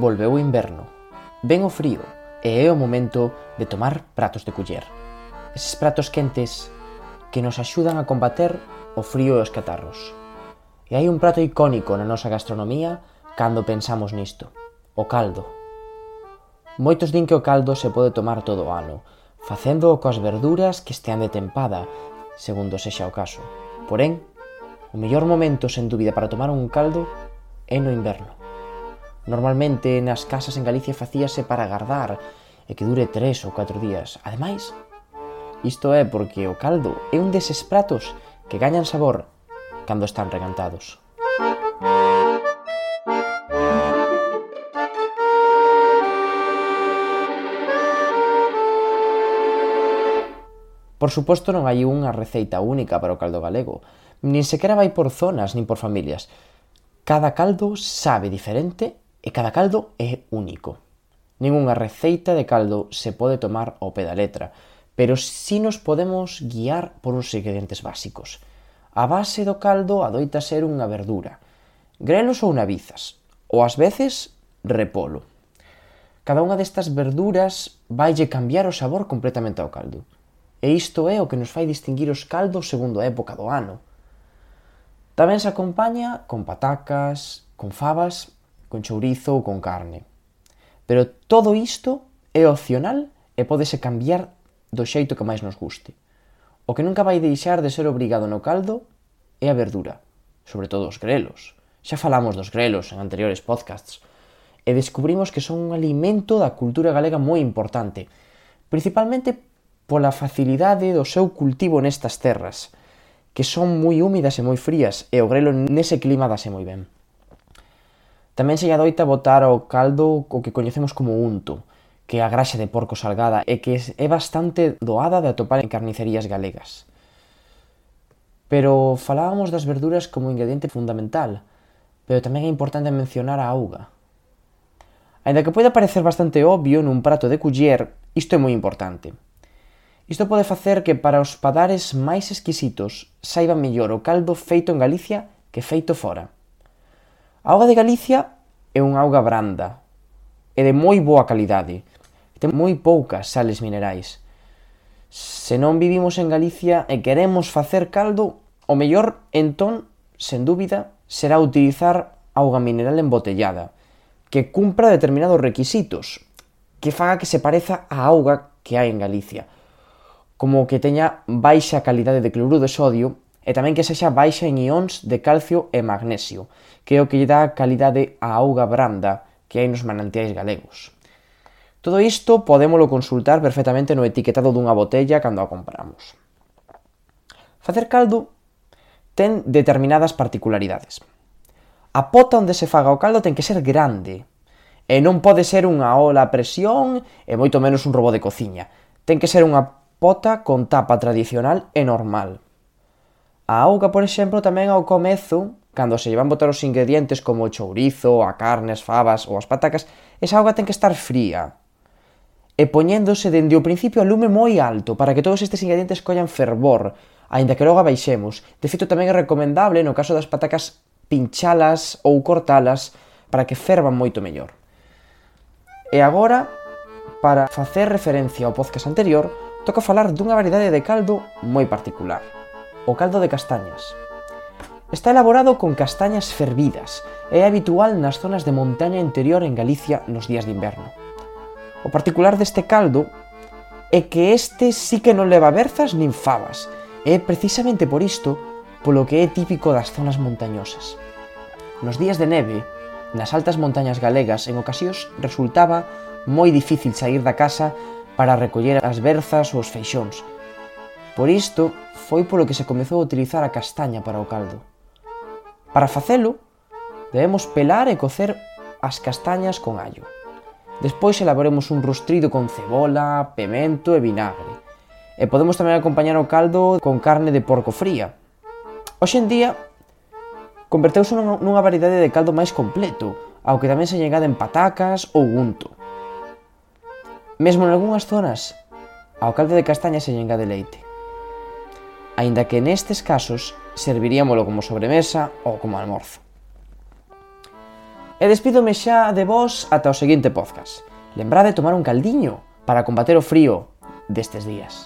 volveu o inverno, ven o frío e é o momento de tomar pratos de culler. Eses pratos quentes que nos axudan a combater o frío e os catarros. E hai un prato icónico na nosa gastronomía cando pensamos nisto, o caldo. Moitos din que o caldo se pode tomar todo o ano, facendo coas verduras que estean de tempada, segundo sexa o caso. Porén, o mellor momento, sen dúbida, para tomar un caldo é no inverno. Normalmente nas casas en Galicia facíase para agardar e que dure 3 ou 4 días. Ademais, isto é porque o caldo é un deses pratos que gañan sabor cando están regantados. Por suposto, non hai unha receita única para o caldo galego, nin sequera vai por zonas nin por familias. Cada caldo sabe diferente e cada caldo é único. Ningunha receita de caldo se pode tomar ao pé da letra, pero si nos podemos guiar por uns ingredientes básicos. A base do caldo adoita ser unha verdura, grelos ou nabizas, ou ás veces repolo. Cada unha destas verduras vaille cambiar o sabor completamente ao caldo. E isto é o que nos fai distinguir os caldos segundo a época do ano. Tamén se acompaña con patacas, con fabas, con chourizo ou con carne. Pero todo isto é opcional e pódese cambiar do xeito que máis nos guste. O que nunca vai deixar de ser obrigado no caldo é a verdura, sobre todo os grelos. Xa falamos dos grelos en anteriores podcasts e descubrimos que son un alimento da cultura galega moi importante, principalmente pola facilidade do seu cultivo nestas terras, que son moi húmidas e moi frías, e o grelo nese clima dase moi ben. Tamén se lle adoita botar ao caldo o que coñecemos como unto, que é a graxa de porco salgada e que é bastante doada de atopar en carnicerías galegas. Pero falábamos das verduras como ingrediente fundamental, pero tamén é importante mencionar a auga. Aínda que poida parecer bastante obvio nun prato de culler, isto é moi importante. Isto pode facer que para os padares máis exquisitos saiba mellor o caldo feito en Galicia que feito fora. A auga de Galicia é unha auga branda e de moi boa calidade. Ten moi poucas sales minerais. Se non vivimos en Galicia e queremos facer caldo, o mellor, entón, sen dúbida, será utilizar auga mineral embotellada, que cumpra determinados requisitos, que faga que se pareza á auga que hai en Galicia, como que teña baixa calidade de cloruro de sodio e tamén que sexa baixa en ións de calcio e magnesio, que é o que lle dá calidade á auga branda que hai nos manantiais galegos. Todo isto podémolo consultar perfectamente no etiquetado dunha botella cando a compramos. Facer caldo ten determinadas particularidades. A pota onde se faga o caldo ten que ser grande, e non pode ser unha ola a presión e moito menos un robot de cociña. Ten que ser unha pota con tapa tradicional e normal. A auga, por exemplo, tamén ao comezo, cando se lle van botar os ingredientes como o chourizo, a carne, as fabas ou as patacas, esa auga ten que estar fría e poñéndose dende o principio a lume moi alto para que todos estes ingredientes collan fervor, aínda que logo abaixemos. De feito, tamén é recomendable, no caso das patacas, pinchalas ou cortalas para que fervan moito mellor. E agora, para facer referencia ao podcast anterior, toca falar dunha variedade de caldo moi particular, o caldo de castañas. Está elaborado con castañas fervidas e é habitual nas zonas de montaña interior en Galicia nos días de inverno. O particular deste caldo é que este sí que non leva berzas nin fabas, e é precisamente por isto polo que é típico das zonas montañosas. Nos días de neve, nas altas montañas galegas, en ocasións resultaba moi difícil sair da casa para recoller as berzas ou os feixóns. Por isto, foi polo que se comezou a utilizar a castaña para o caldo. Para facelo, debemos pelar e cocer as castañas con allo. Despois elaboremos un rustrido con cebola, pemento e vinagre. E podemos tamén acompañar o caldo con carne de porco fría. Hoxe en día, converteuse nunha variedade de caldo máis completo, ao que tamén se lle engaden patacas ou unto. Mesmo en algunhas zonas, ao caldo de castaña se lle engade leite. Aínda que nestes casos serviríamolo como sobremesa ou como almorzo. E despídome xa de vos ata o seguinte podcast. Lembrade tomar un caldiño para combater o frío destes días.